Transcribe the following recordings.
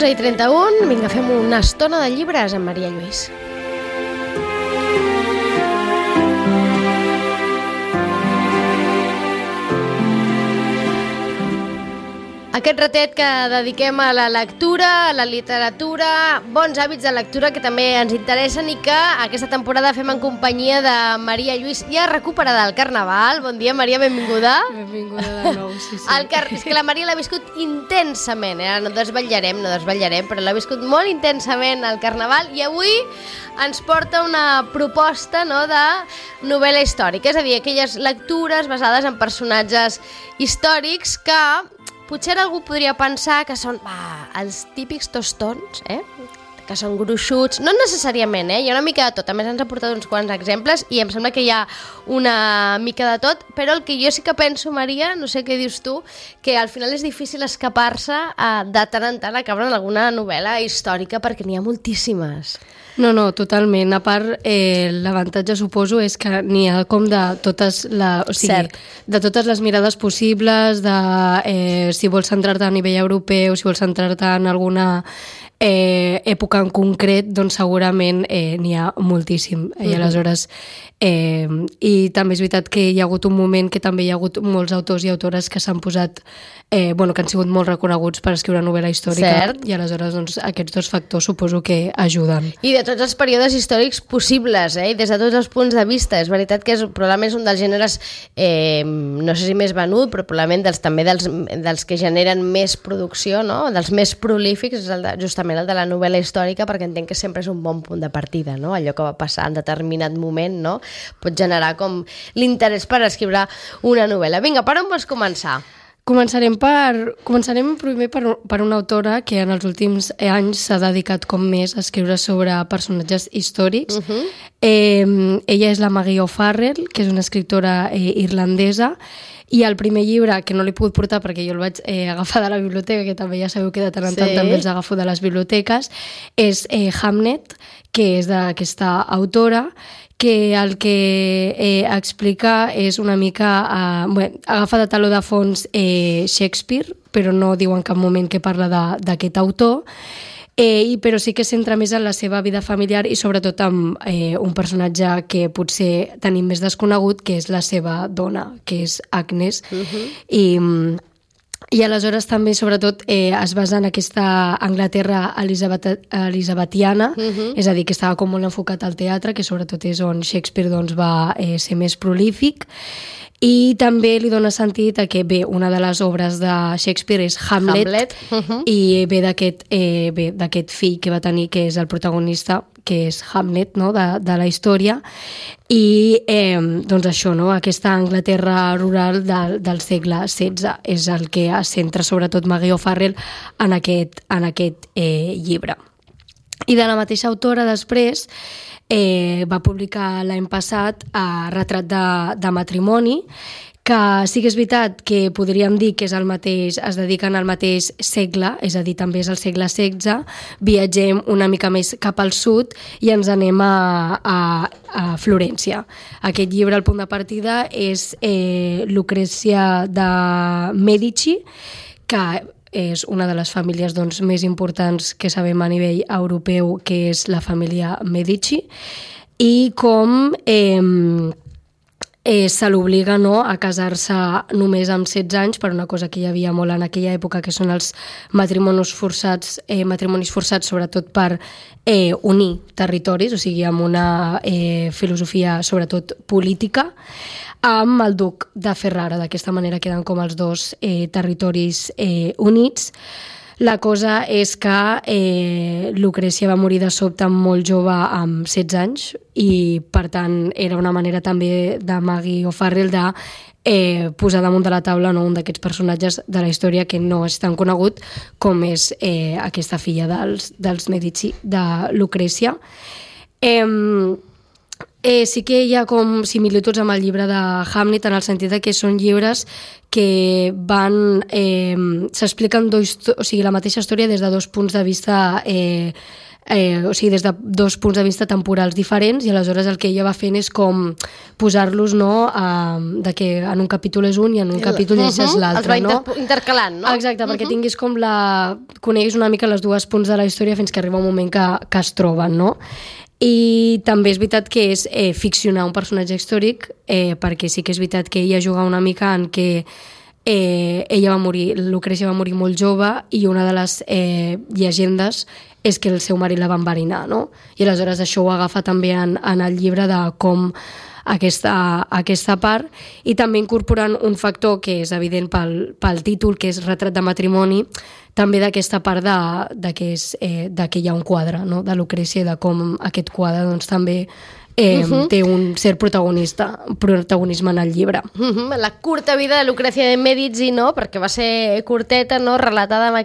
11:31, vinga, fem una estona de llibres amb Maria Lluís. Aquest ratet que dediquem a la lectura, a la literatura, bons hàbits de lectura que també ens interessen i que aquesta temporada fem en companyia de Maria Lluís, ja recuperada del Carnaval. Bon dia, Maria, benvinguda. Benvinguda de nou, sí. És que la Maria l'ha viscut intensament, no desvetllarem, però l'ha viscut molt intensament al Carnaval i avui ens porta una proposta de novel·la històrica, és a dir, aquelles lectures basades en personatges històrics que potser algú podria pensar que són els típics tostons, que són gruixuts, no necessàriament, hi ha una mica de tot. A més ens ha portat uns quants exemples i em sembla que hi ha una mica de tot, però el que jo sí que penso, Maria, no sé què dius tu, que al final és difícil escapar-se de tant en tant a caure en alguna novel·la històrica perquè n'hi ha moltíssimes. No, totalment. A part, l'avantatge, suposo, és que n'hi ha com de totes de totes les mirades possibles, de si vols centrar-te a nivell europeu, si vols centrar-te en alguna època en concret, doncs segurament n'hi ha moltíssim. I aleshores, i també és veritat que hi ha hagut un moment que també hi ha hagut molts autors i autores que s'han posat, que han sigut molt reconeguts per escriure novel·la històrica. Cert. I aleshores doncs, aquests dos factors suposo que ajuden. I de tots els períodes històrics possibles, i des de tots els punts de vista. És veritat que probablement és un dels gèneres, no sé si més venut, però probablement també dels que generen més producció, no? Dels més prolífics, és justament el de la novel·la històrica, perquè entenc que sempre és un bon punt de partida, no? Allò que va passar en determinat moment, no? Pot generar com l'interès per escriure una novel·la. Vinga, per on vols començar? Començarem primer per una autora que en els últims anys s'ha dedicat com més a escriure sobre personatges històrics. Ella és la Maggie O'Farrell, que és una escriptora irlandesa, i el primer llibre, que no l'he pogut portar perquè jo el vaig agafar de la biblioteca, que també ja sabeu que de tant en tant també els agafo de les biblioteques, és Hamnet, que és d'aquesta autora, que el que explica és una mica... agafa de taló de fons Shakespeare, però no diu en cap moment que parla d'aquest autor, però sí que centra més en la seva vida familiar i sobretot amb un personatge que potser tenim més desconegut, que és la seva dona, que és Agnes. I aleshores també, sobretot, es basa en aquesta Anglaterra elisabetiana, és a dir, que estava com molt enfocat al teatre, que sobretot és on Shakespeare va ser més prolífic. I també li dona sentit a que, una de les obres de Shakespeare és Hamlet. I ve d'aquest fill que va tenir, que és el protagonista, que és Hamlet, no?, de la història. I doncs això, no?, aquesta Anglaterra rural del segle XVI és el que es centra sobretot Maggie O'Farrell en aquest llibre. I de la mateixa autora després va publicar l'any passat Retrat de matrimoni, que sí que és veritat que podríem dir que és el mateix, es dediquen al mateix segle, és a dir, també és el segle XVI, viatgem una mica més cap al sud i ens anem a Florència. Aquest llibre, el punt de partida, és Lucrezia de Medici, que és una de les famílies més importants que sabem a nivell europeu, que és la família Medici, i com se l'obliga a casar-se només amb 16 anys per una cosa que hi havia molt en aquella època, que són els matrimonis forçats sobretot per unir territoris, o sigui, amb una filosofia sobretot política, amb el duc de Ferrara. D'aquesta manera queden com els dos territoris units. La cosa és que Lucrècia va morir de sobte molt jove, amb 16 anys, i per tant era una manera també de Maggie O'Farrell de posar damunt de la taula un d'aquests personatges de la història que no és tan conegut com és aquesta filla dels Medici, de Lucrècia. Sí que hi ha com similituds amb el llibre de Hamlet, en el sentit que són llibres que s'expliquen la mateixa història des de dos punts de vista o sigui, des de dos punts de vista temporals diferents, i aleshores el que ella va fent és com posar-los, no?, de que en un capítol és un i en un capítol llegeixes l'altre, no? Els va intercalant, no? Exacte, perquè tinguis com coneguis una mica les dues punts de la història fins que arriba un moment que es troben, no? I també és veritat que és ficcionar un personatge històric, perquè sí que és veritat que ella juga una mica en què ella va morir, Lucrècia va morir molt jove, i una de les llegendes és que el seu marit la va enverinar, no? I aleshores això ho agafa també en el llibre de com aquesta part, i també incorporant un factor que és evident pel títol, que és retrat de matrimoni, també d'aquesta part de que hi ha un quadre, no?, de Lucrècia, i de com aquest quadre doncs, també té un cert protagonisme en el llibre. La curta vida de Lucrècia de Mèdici, no?, perquè va ser curteta, no?, relatada amb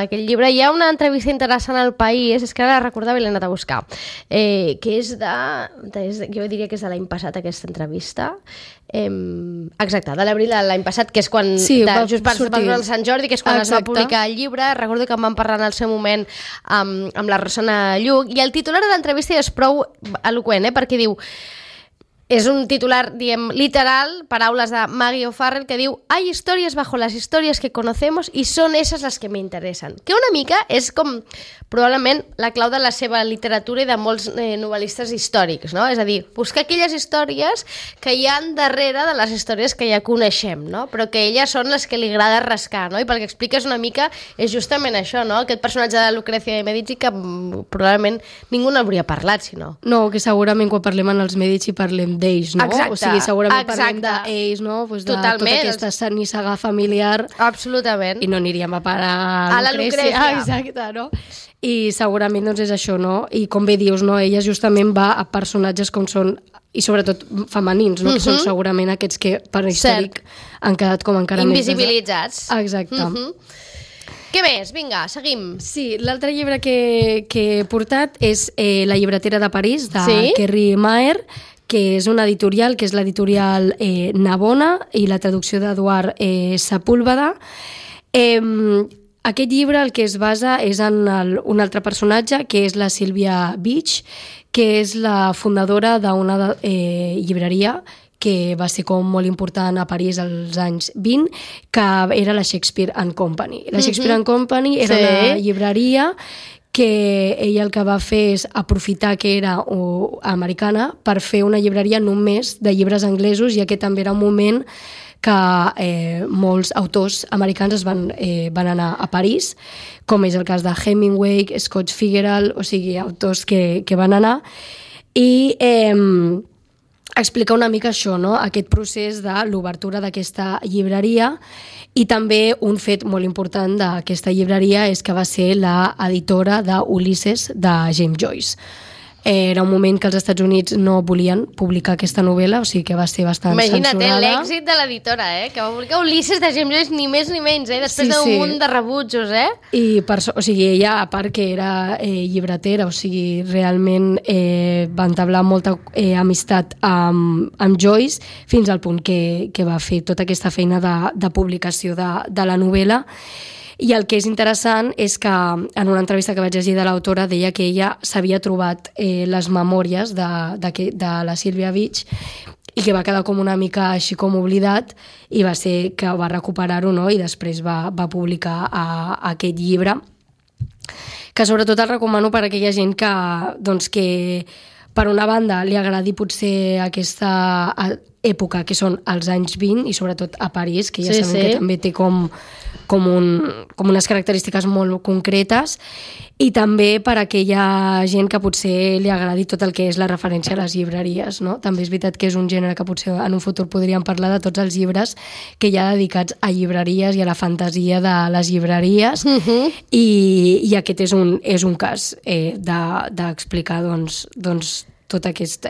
aquest llibre. Hi ha una entrevista interessant al País, és que ara la recordava i l'he anat a buscar, que és jo diria que és de l'any passat, aquesta entrevista. Exacte, de l'abril de l'any passat, que és quan just per el Sant Jordi, que és quan es va publicar el llibre. Recordo que em van parlar en el seu moment amb la Rosana Lluc, i el titular de l'entrevista és prou eloqüent, perquè diu, és un titular, diem, literal, paraules de Maggie O'Farrell, que diu: hay historias bajo las historias que conocemos y son esas las que me interesan. Que una mica és com probablement la clau de la seva literatura i de molts novel·listes històrics, no? És a dir, buscar aquelles històries que hi ha darrere de les històries que ja coneixem, no? Però que elles són les que li agrada rascar, no? I pel que expliques una mica és justament això, no? Aquest personatge de Lucrècia de Mèdici que probablement ningú n'hauria parlat, si no. No, que segurament quan parlem en els Mèdici parlem d'ells, no? Exacte, o sigui, segurament parlem d'ells, no? Pues de totalment. Tota aquesta nissaga familiar. Absolutament. I no aniríem a parar a la Lucrècia. Exacte, no? I segurament doncs és això, no? I com bé dius, no? Ella justament va a personatges com són, i sobretot femenins, no? Que són segurament aquests que per històric han quedat com encara invisibilitzats. Exacte. Què més? Vinga, seguim. Sí, l'altre llibre que he portat és La llibretera de París, de Kerry Maher, que és una editorial, que és l'editorial Navona, i la traducció d'Eduard Sepúlveda. Aquest llibre el que es basa és en un altre personatge, que és la Sylvia Beach, que és la fundadora d'una llibreria que va ser com molt important a París als anys 20, que era la Shakespeare and Company. La Shakespeare and Company era una llibreria que ella el que va fer és aprofitar que era americana per fer una llibreria només de llibres anglesos, ja que també era un moment que molts autors americans van anar a París, com és el cas de Hemingway, Scott Fitzgerald, o sigui, autors que van anar, i explicar una mica això, no? Aquest procés de l'obertura d'aquesta llibreria. I també un fet molt important d'aquesta llibreria és que va ser l'editora d'Ulisses de James Joyce. Era un moment que els Estats Units no volien publicar aquesta novel·la, o sigui que va ser bastant censurada. Imagina't l'èxit de l'editora, que va publicar Ulisses de James Joyce, ni més ni menys, després d'un munt de rebutjos, I o sigui, ella, a part que era llibretera, o sigui, realment va entablar molta amistat amb Joyce, fins al punt que va fer tota aquesta feina de publicació de la novel·la. I el que és interessant és que en una entrevista que vaig llegir de l'autora deia que ella s'havia trobat les memòries de la Sylvia Beach i que va quedar com una mica així com oblidat, i va ser que va recuperar-ho, no? I després va publicar aquest llibre, que sobretot el recomano per a aquella gent que per una banda li agradi potser aquesta època que són els anys 20 i sobretot a París, que ja sabem que també té com unes característiques molt concretes, i també per a aquella gent que potser li agradi tot el que és la referència a les llibreries, no? També és veritat que és un gènere que potser en un futur podríem parlar de tots els llibres que hi ha dedicats a llibreries i a la fantasia de les llibreries, i aquest és un cas d'explicar tot aquest...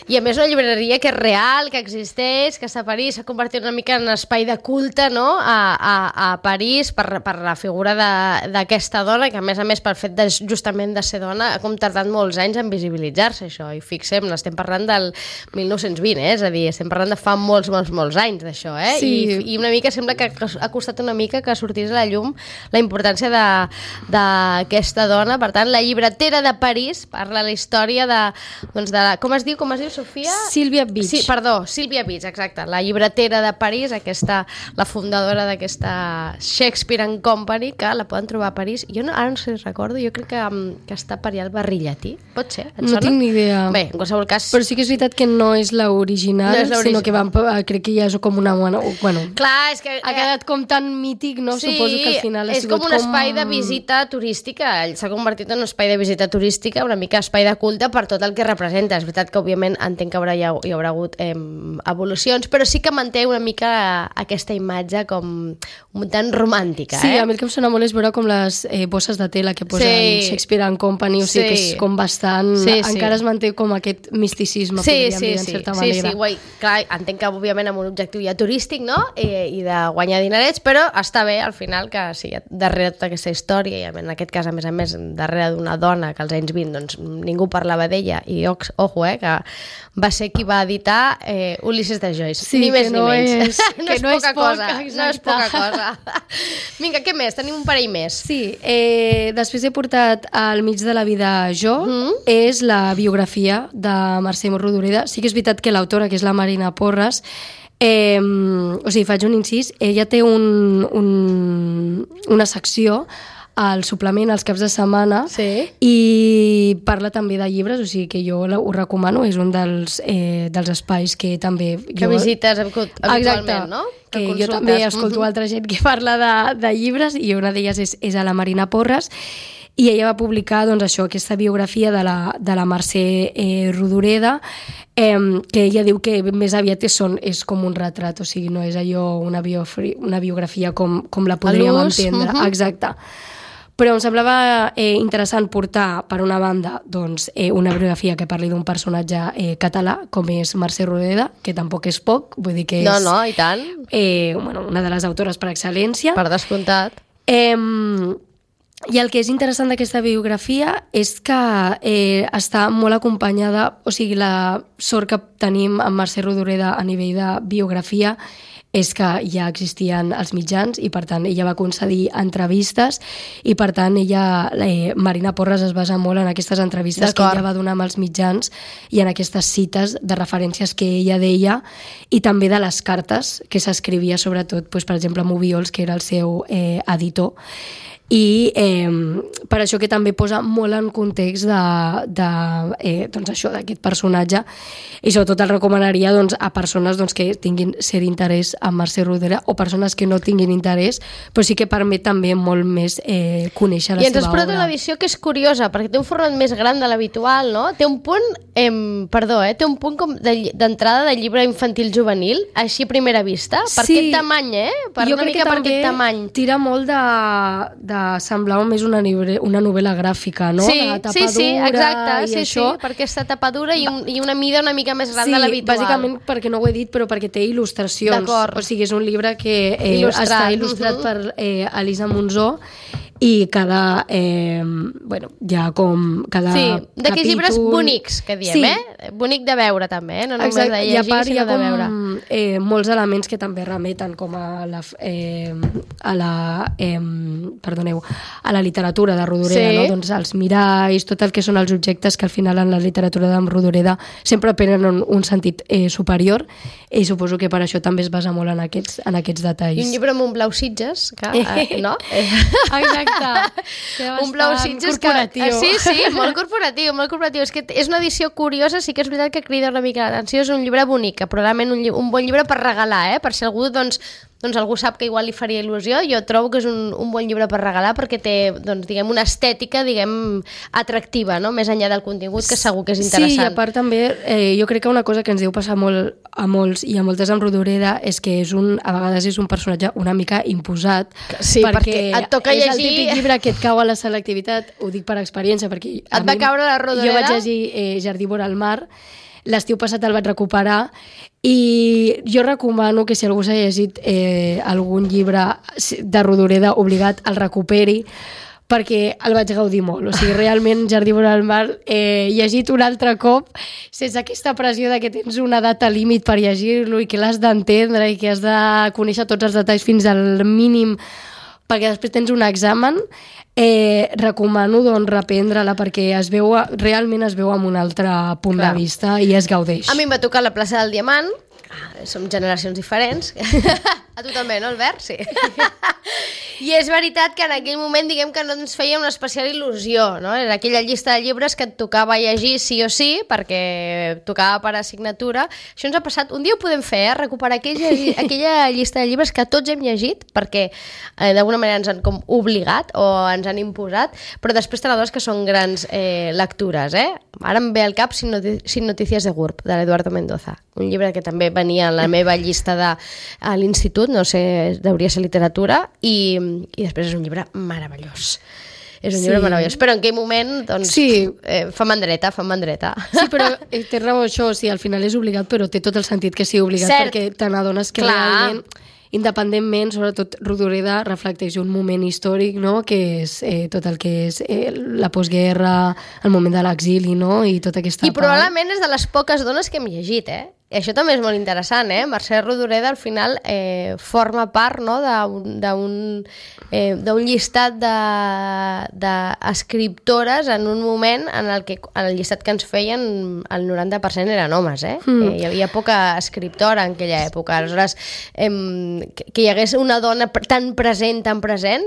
I a més una llibreria que és real, que existeix, que està a París, s'ha convertit una mica en espai de culte, no?, a París per la figura d'aquesta dona, que a més pel fet justament de ser dona ha com tardat molts anys en visibilitzar-se això, i fixem, estem parlant del 1920, és a dir, estem parlant de fa molts anys d'això, Sí. I una mica sembla que ha costat una mica que sortís a la llum la importància d'aquesta dona. Per tant, la llibretera de París parla la història com es diu, Sofia? Sílvia Beach. Sí, perdó, Sílvia Beach, exacte. La llibretera de París, la fundadora d'aquesta Shakespeare and Company, que la poden trobar a París. Jo ara no sé si recordo, jo crec que està per allà al barri Llatí. Pot ser? Et sona? No tinc ni idea. Bé, en qualsevol cas... Però sí que és veritat que no és l'original, sinó que crec que ja és com una... Bueno, clar, és que... Ha quedat com tan mític, no? Sí, suposo que al final ha sigut com un espai de visita turística. S'ha convertit en un espai de visita turística, una mica espai de culte per tot el que representa. És veritat que, òbviament, entenc que hi haurà hagut evolucions, però sí que manté una mica aquesta imatge com tan romàntica. Sí, a mi el que em sona molt és veure com les bosses de tela que posen Shakespeare and Company, o sigui que és com bastant... Encara es manté com aquest misticisme, podríem dir, en certa manera. Sí, clar, entenc que, òbviament, amb un objectiu ja turístic, no?, i de guanyar dinerets, però està bé, al final, que sí, darrere tota aquesta història, i en aquest cas, a més, darrere d'una dona que als anys 20 doncs, ningú parlava d'ella, i ojo, que va ser qui va editar Ulisses de Joyce, sí, ni més ni menys. Que no és poca cosa. No és poca cosa. Vinga, què més? Tenim un parell més. Sí, després he portat Al mig de la vida jo, és la biografia de Mercè Rodoreda. Sí que és veritat que l'autora, que és la Marina Porras, o sigui, faig un incís, ella té una secció al suplement als caps de setmana i parla també de llibres, o sigui que jo ho recomano, és un dels espais que també... Que visites habitualment, no? Que jo també escolto altra gent que parla de llibres i una d'elles és a la Marina Porras, i ella va publicar doncs, això, aquesta biografia de la Mercè Rodoreda, que ella diu que més aviat és com un retrat, o sigui, no és allò una biografia com la podríem entendre. Exacte. Però em semblava interessant portar, per una banda, doncs, una biografia que parli d'un personatge català, com és Mercè Rodoreda, que tampoc és poc, vull dir que és... No, i tant. Una de les autores per excel·lència. Per descomptat. I el que és interessant d'aquesta biografia és que està molt acompanyada, o sigui, la sort que tenim amb Mercè Rodoreda a nivell de biografia és que ja existien els mitjans i, per tant, ella va concedir entrevistes i, per tant, Marina Porras es basa molt en aquestes entrevistes que ella va donar amb els mitjans i en aquestes cites de referències que ella deia i també de les cartes que s'escrivia, sobretot, per exemple, amb Obiols, que era el seu editor. I per això que també posa molt en context doncs això, d'aquest personatge, i sobretot el recomanaria doncs, a persones doncs, que tinguin cert interès en Mercè Rodoreda o persones que no tinguin interès, però sí que permet també molt més conèixer la seva obra. I ens has portat una edició que és curiosa, perquè té un format més gran de l'habitual, no? Té un punt, té un punt com d'entrada de llibre infantil juvenil, així a primera vista, per aquest tamany, per jo una mica per aquest tamany. Tira molt de semblava més una novel·la gràfica, no? Sí, la tapadura exacte, i això. perquè aquesta tapadura i una mida una mica més gran de l'habitual. Sí, bàsicament perquè no ho he dit, però perquè té il·lustracions. O sigui, és un llibre que està il·lustrat per Elisa Monzó i cada d'aquells llibres bonics que diem, bonic de veure també, no només de llegir, sinó de veure. Molts elements que també remeten com a la literatura de Rodoreda, no? Doncs els miralls, tot el que són els objectes que al final en la literatura de Rodoreda sempre prenen un sentit superior, i suposo que per això també es basa molt en aquests detalls. I un llibre amb un blau Sitges, no? Exacte. Un blau Sitges corporatiu. Sí, molt corporatiu, molt corporatiu. És que és una edició curiosa, sí que és veritat que crida una mica l'atenció, és un llibre bonic, probablement un bon llibre per regalar, per si algú doncs doncs algú sap que igual li faria il·lusió. Jo trobo que és un bon llibre per regalar perquè té, doncs, diguem, una estètica, diguem, atractiva, no? Més enllà del contingut, que segur que és interessant. Sí, i a part també, jo crec que una cosa que ens deu passar molt a molts i a moltes amb Rodoreda és que a vegades és un personatge una mica imposat. Sí, perquè et toca llegir... És el típic llibre que et cau a la selectivitat, ho dic per experiència, perquè... Et va caure la Rodoreda? Jo vaig llegir Jardí vora el mar, l'estiu passat el vaig recuperar i jo recomano que si algú s'ha llegit algun llibre de Rodoreda obligat el recuperi, perquè el vaig gaudir molt. O sigui, realment Jardí vora el mar llegit un altre cop sense aquesta pressió de que tens una data límit per llegir-lo i que l'has d'entendre i que has de conèixer tots els detalls fins al mínim perquè després tens un examen. Recomano doncs reprendre-la perquè realment es veu amb un altre punt de vista i es gaudeix. A mi em va tocar la plaça del Diamant. Som generacions diferents. A tu també, no, Albert? Sí. I és veritat que en aquell moment, diguem que no ens feia una especial il·lusió, no? Era aquella llista de llibres que et tocava llegir sí o sí, perquè tocava per assignatura. Això ens ha passat, un dia ho podem fer, recuperar aquella llista de llibres que tots hem llegit, perquè d'alguna manera ens han com obligat o ens han imposat, però després te n'adones que són grans lectures, Ara em ve al cap Sin notícies de GURB, de l'Eduardo Mendoza, un llibre que també venia a la meva llista a l'institut, no sé, hauria de ser literatura, i després és un llibre meravellós. És un llibre meravellós, però en aquell moment doncs, fa mandreta. Sí, però té raó això, al final és obligat, però té tot el sentit que sigui obligat, perquè te n'adones que realment, independentment, sobretot Rodoreda reflecteix un moment històric, no? Que és tot el que és la postguerra, el moment de l'exili, no? I tota aquesta part. I probablement és de les poques dones que hem llegit, I això també és molt interessant, Mercè Rodoreda al final forma part, no? d'un llistat d'escriptores en un moment en el que el llistat que ens feien el 90% eren homes, Hi havia poca escriptora en aquella època. Aleshores, que hi hagués una dona tan present,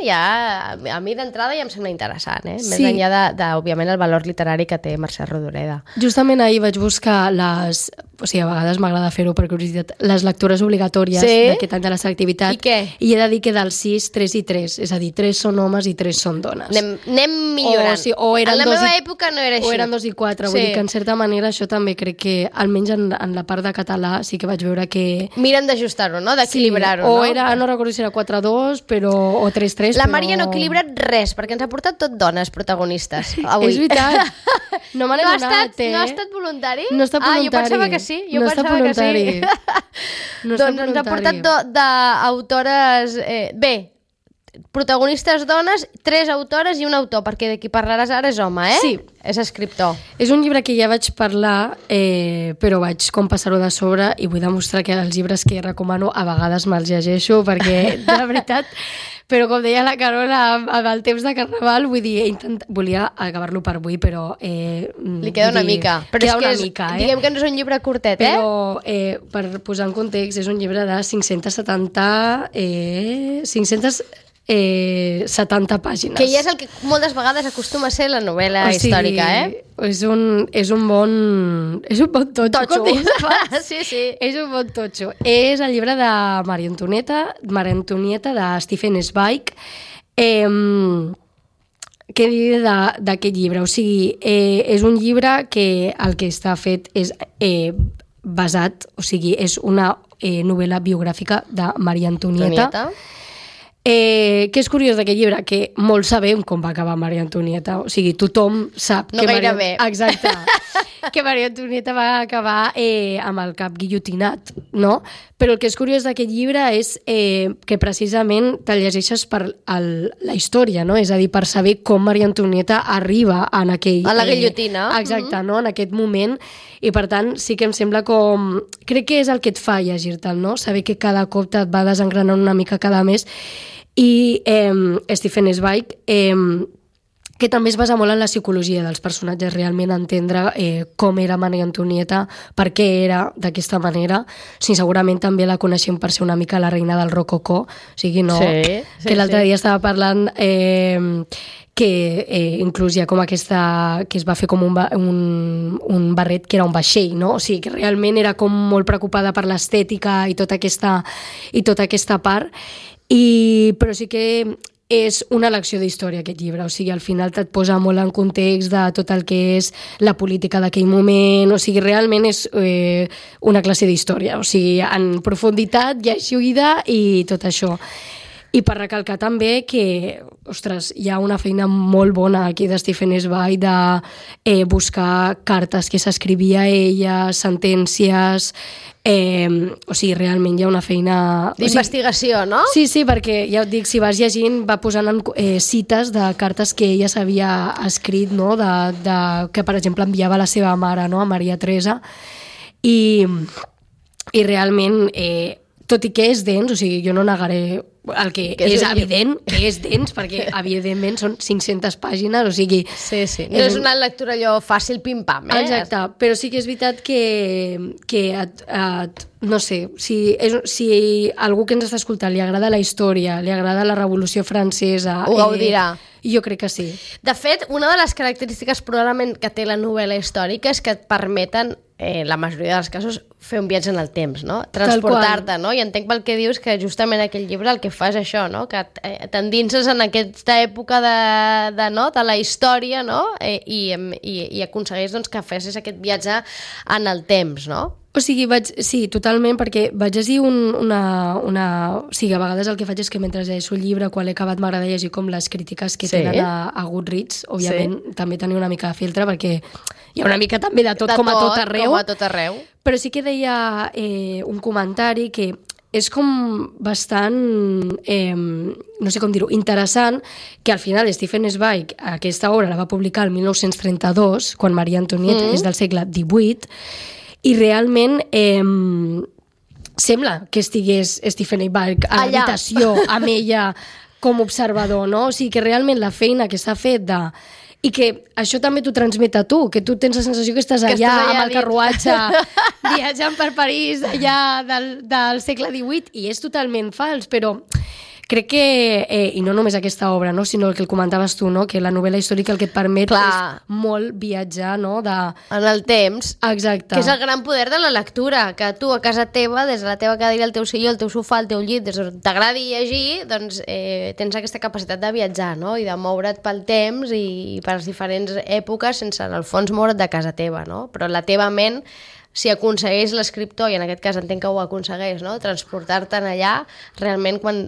ja a mi d'entrada ja em sembla interessant, Més enllà òbviament, el valor literari que té Mercè Rodoreda. Justament ahir vaig buscar o sigui, a vegades m'agrada fer-ho per curiositat, les lectures obligatòries d'aquest any de la selectivitat. I què? I he de dir que del 6, 3 i 3, és a dir, 3 són homes i 3 són dones. Anem millorant. En la meva època no era així. O eren 2 i 4, vull dir que en certa manera això també crec que, almenys en la part de català, sí que vaig veure que... Miren d'ajustar-ho, no? D'equilibrar-ho, no? O era, no recordo si era 4-2, o 3-3, La Maria no ha equilibrat res, perquè ens ha portat tot dones protagonistes avui. És veritat. No me n'he donat, No ha estat voluntari? No ha estat voluntari. Jo pensava que sí. No ha estat voluntari. No doncs ens ha portat d'autores... protagonistes dones, 3 autores i un autor, perquè de qui parlaràs ara és home, Sí. És escriptor. És un llibre que ja vaig parlar, però vaig com passar-ho de sobre i vull demostrar que els llibres que recomano a vegades me'ls llegeixo, perquè, de veritat, però com deia la Carola, amb el temps de Carnaval, vull dir, volia acabar-lo per avui, però... Li queda una mica. Però queda és que una mica, diguem que no és un llibre curtet, Però, per posar en context, és un llibre de 570 pàgines. Que ja és el que moltes vegades acostuma a ser la novel·la històrica, És un bon totxo. Sí. És un bon totxo. És el llibre de Maria Antonieta de Stephen Zweig. Què dir d'aquest llibre? O sigui, és un llibre que el que està fet és basat, o sigui, és una novel·la biogràfica de Maria Antonieta. Que és curiós d'aquest llibre, que molts sabem com va acabar Maria Antonieta, o sigui, tothom sap no gaire bé. Exacte, que Maria Antonieta va acabar amb el cap guillotinat, no? Però el que és curiós d'aquest llibre és que precisament te'l llegeixes per la història, no? És a dir, per saber com Maria Antonieta arriba a la guillotina. Exacte, no? En aquest moment, i per tant sí que em sembla com... Crec que és el que et fa llegir-te'l, no? Saber que cada cop et va desengranant una mica cada mes. I Stephen Zweig, que també es basa molt en la psicologia dels personatges, realment entendre com era Maria Antonieta, per què era d'aquesta manera. Sí, segurament també la coneixem per ser una mica la reina del rococó, o sigui, no? Que l'altre dia estava parlant que inclús hi ha com aquesta, que es va fer com un barret que era un vaixell, no? O sigui, que realment era com molt preocupada per l'estètica i tota aquesta part, però sí que és una lecció d'història aquest llibre, o sigui, al final et posa molt en context de tot el que és la política d'aquell moment, o sigui, realment és una classe d'història, o sigui, en profunditat, llegida i tot això. I per recalcar també que, ostres, hi ha una feina molt bona aquí de Stephen Zweig de buscar cartes que s'escrivia ella, sentències, o sigui, realment hi ha una feina... D'investigació, no? Sí, perquè ja et dic, si vas llegint, va posant cites de cartes que ella s'havia escrit, no? Que, per exemple, enviava a la seva mare, no? A Maria Teresa, i realment... tot i que és dens, o sigui, jo no negaré el que és evident, que és dens, perquè evidentment són 500 pàgines, o sigui... Sí. No és una lectura allò fàcil, pim-pam, Exacte, però sí que és veritat que no sé, si algú que ens està escoltant li agrada la història, li agrada la Revolució Francesa... Ho gaudirà. Jo crec que sí. De fet, una de les característiques probablement que té la novel·la històrica és que et permeten, la majoria dels casos, fer un viatge en el temps, no? Transportar-te, no? I entenc pel que dius que justament aquell llibre el que fa és això, no? Que t'endinses en aquesta època de la història, no? I aconsegueix doncs, que fessis aquest viatge en el temps, no? O sigui, sí, totalment, perquè vaig llegir O sigui, a vegades el que faig és que mentre llegeixo el llibre, quan l'he acabat, m'agrada llegir com les crítiques que tenen a Goodreads. Òbviament, també tenir una mica de filtre, perquè hi ha una mica també de tot, com a tot arreu. Com a tot arreu. Però sí que deia un comentari que és com bastant, no sé com dir-ho, interessant, que al final Stephen Zweig aquesta obra la va publicar el 1932, quan Maria Antonieta és del segle XVIII, i realment sembla que estigués Stephen Zweig a l'habitació amb ella com observador, no? O sigui que realment la feina que s'ha fet i que això també t'ho transmet a tu, que tu tens la sensació que estàs allà amb el carruatge viatjant per París allà del segle XVIII, i és totalment fals, però crec que, i no només aquesta obra, no, sinó el que el comentaves tu, no, que la novel·la històrica el que et permet és molt viatjar, no, en el temps. Exacte. Que és el gran poder de la lectura, que tu a casa teva, des de la teva cadira, el teu silló, el teu sofà, el teu llit, des on t'agradi llegir, doncs tens aquesta capacitat de viatjar, no, i de moure't pel temps i per les diferents èpoques sense, en el fons, moure't de casa teva, no? Però la teva ment, si aconsegueix l'escriptor, i en aquest cas entenc que ho aconsegueix, no? Transportar-te'n allà, realment quan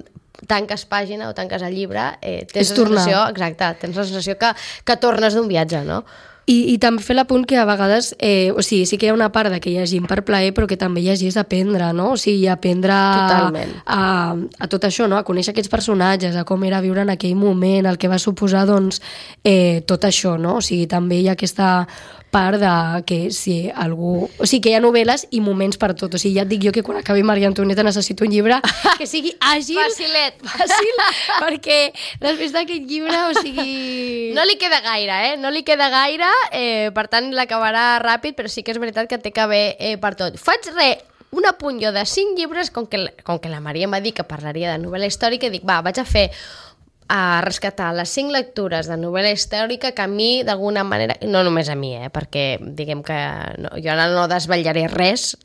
tanques pàgina o tanques el llibre, tens la sensació que tornes d'un viatge, no? I també fer l'apunt que a vegades, o sigui, sí que hi ha una part de que llegim per plaer, però que també llegir és aprendre, no? O sigui, aprendre a tot això, no? A conèixer aquests personatges, a com era viure en aquell moment, el que va suposar, doncs, tot això, no? O sigui, també hi ha aquesta part de que si algú... O sigui, que hi ha novel·les i moments per tot. O sigui, ja et dic jo que quan acabi Maria Antonieta necessito un llibre que sigui àgil... Fàcil, perquè després d'aquest llibre, o sigui... No li queda gaire, No li queda gaire, per tant l'acabarà ràpid, però sí que és veritat que té que haver per tot. Faig un apunt jo de 5 llibres, com que la Maria em va dir que parlaria de novel·la històrica, i dic, vaig a rescatar les 5 lectures de novel·la històrica que a mi, d'alguna manera, no només a mi, perquè diguem que jo ara no desvetllaré res,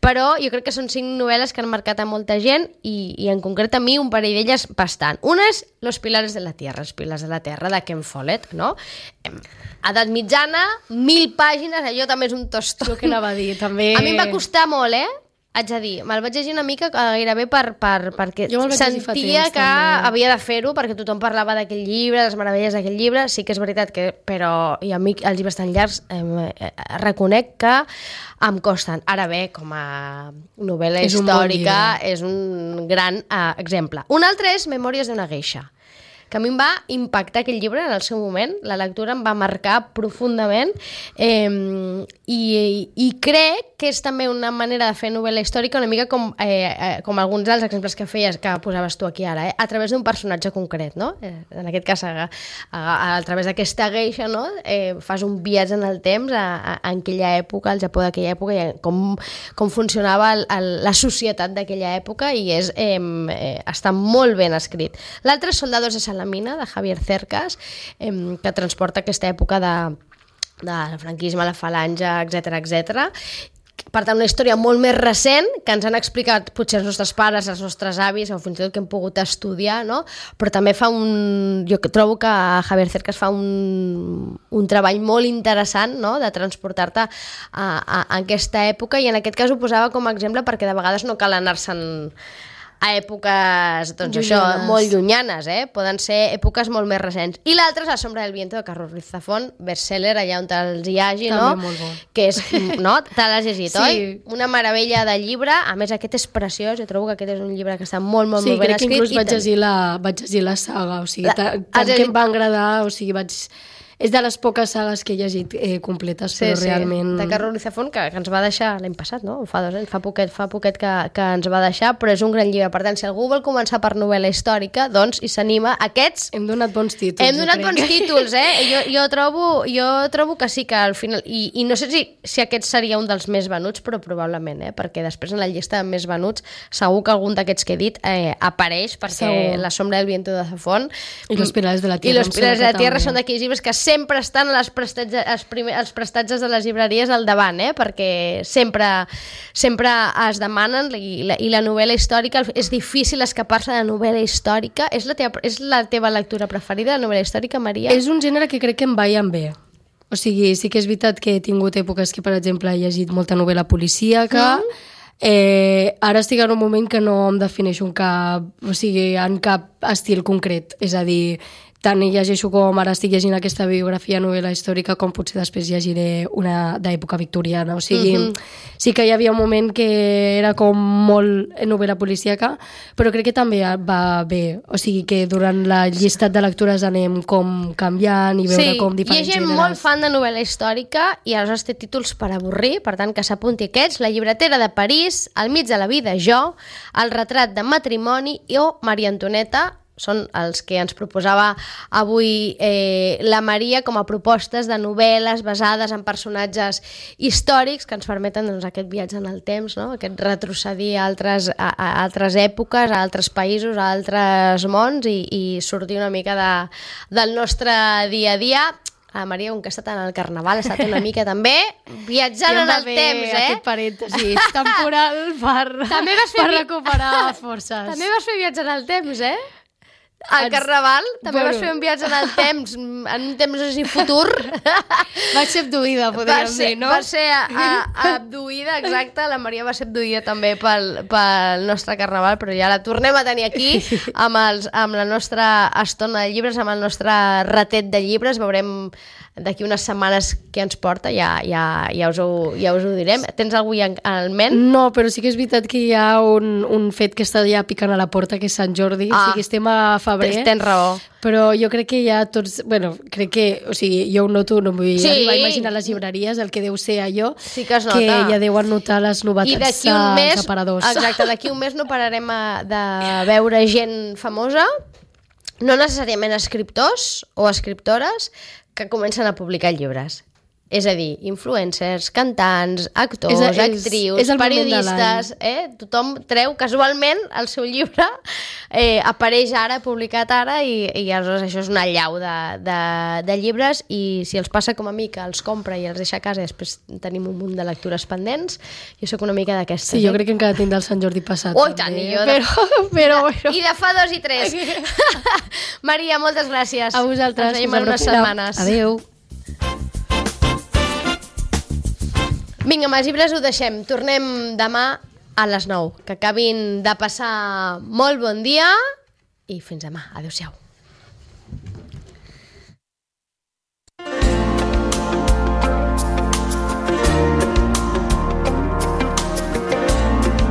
però jo crec que són 5 novel·les que han marcat a molta gent i en concret a mi un parell d'elles bastant. Una és Los pilares de la tierra, els pilars de la terra, de Ken Follett, no? Edat mitjana, 1.000 pàgines, allò també és un tostó. Jo que anava a dir, també... A mi em va costar molt, haig de dir, me'l vaig llegir una mica gairebé perquè sentia que havia de fer-ho, perquè tothom parlava d'aquell llibre, les meravelles d'aquell llibre, sí que és veritat que, però i a mi els llibres tan llargs reconec que em costen. Ara bé, com a novel·la històrica és un gran exemple. Un altre és Memòries d'una geisha, que a mi em va impactar aquell llibre en el seu moment, la lectura em va marcar profundament, i crec que és també una manera de fer novel·la històrica una mica com alguns dels exemples que feies, que posaves tu aquí ara, a través d'un personatge concret, no? En aquest cas, a través d'aquesta geisha, no? Fas un viatge en el temps en aquella època, al Japó d'aquella època, i com funcionava la societat d'aquella època, i està molt ben escrit. L'altre és Soldados de Salamanca, de mina, de Javier Cercas, que transporta aquesta època del franquisme, la falange, etc. Per tant, una història molt més recent que ens han explicat potser els nostres pares, els nostres avis o fins i tot que hem pogut estudiar, no? Però també jo trobo que Javier Cercas fa un treball molt interessant, no? De transportar-te a aquesta època, i en aquest cas ho posava com a exemple perquè de vegades no cal anar-se'n a èpoques, doncs això, molt llunyanes, poden ser èpoques molt més recents. I l'altre és La sombra del viento de Carlos Ruiz Zafón, bestseller, allà on te'ls hi hagi, no? També molt bo. Que és, no? Te l'has llegit, sí. Oi? Una meravella de llibre, a més aquest és preciós, jo trobo que aquest és un llibre que està molt ben escrit. Sí, crec que inclús vaig llegir la saga, o sigui, tant que em va agradar, o sigui, és de les poques sagues que he llegit completes, però realment... de Carlos Ruiz Zafón, que ens va deixar l'any passat, no? Fa 2 anys, fa poquet que ens va deixar, però és un gran llibre. Per tant, si algú vol començar per novel·la històrica, doncs hi s'anima. Aquests... Hem donat bons títols. Hem donat bons títols, Jo trobo que sí, que al final... I no sé si aquest seria un dels més venuts, però probablement, perquè després en la llista de més venuts segur que algun d'aquests que he dit apareix, perquè La sombra del viento de Zafón i Los pilares de la tierra, són d'aquells llibres que sempre estan als prestatges de les llibreries al davant, perquè sempre es demanen, i la novel·la històrica, és difícil escapar-se de novel·la històrica. És la teva lectura preferida, la novel·la històrica, Maria? És un gènere que crec que em va i em ve. O sigui, sí que és veritat que he tingut èpoques que, per exemple, he llegit molta novel·la policíaca. Ara estic en un moment que no em defineixo en cap estil concret, és a dir, tant llegeixo com ara estic llegint aquesta biografia novel·la històrica, com potser després llegiré una d'època victoriana. O sigui, sí que hi havia un moment que era com molt novel·la policíaca, però crec que també va bé. O sigui que durant la llistat de lectures anem com canviant i veure com diferents gèneres. Hi ha gent molt fan de novel·la històrica i aleshores té títols per avorrir, per tant que s'apunti aquests: La llibretera de París, Al mig de la vida, jo, El retrat de matrimoni o Maria Antonieta. Són els que ens proposava avui la Maria com a propostes de novel·les basades en personatges històrics que ens permeten aquest viatge en el temps, no? Aquest retrocedir a altres èpoques, a altres països, a altres mons i sortir una mica del nostre dia a dia. La Maria, com que ha estat en el Carnaval, ha estat una mica també viatjant en el temps, aquest parèntesi temporal per recuperar forces. També vas fer viatjar en el temps, Al Carnaval també vas fer un viatge en el temps, en un temps així futur. Vaig ser abduïda, podríem dir, no? Va ser abduïda, exacte. La Maria va ser abduïda també pel nostre Carnaval, però ja la tornem a tenir aquí amb la nostra estona de llibres, amb el nostre ratet de llibres. Veurem d'aquí unes setmanes què ens porta, ja us ho direm. Tens algú ja al ment? No, però sí que és veritat que hi ha un fet que està ja picant a la porta, que és Sant Jordi. O sigui, estem a febrer. Tens raó. Però jo crec que ja tots... crec que... O sigui, jo ho noto, no m'ho vull arribar a imaginar les llibreries, el que deu ser allò, sí que es nota. Que ja deuen notar les novetats als aparadors. Exacte, d'aquí un mes no pararem de veure gent famosa, no necessàriament escriptors o escriptores, que comencen a publicar llibres. És a dir, influencers, cantants, actors, actrius, periodistes, tothom treu casualment el seu llibre, apareix ara, publicat ara, i aleshores això és una allau de llibres, i si els passa com a mi, que els compra i els deixa a casa i després tenim un munt de lectures pendents, jo sóc una mica d'aquestes. Sí, jo crec que encara tinc del Sant Jordi passat. Oh, tant, i jo però... I de fa 2 i 3. Maria, moltes gràcies. A vosaltres. Ens veiem en unes setmanes. Adéu. Vinga, amb els llibres ho deixem. Tornem demà a les 9. Que acabin de passar molt bon dia i fins demà. Adéu-siau.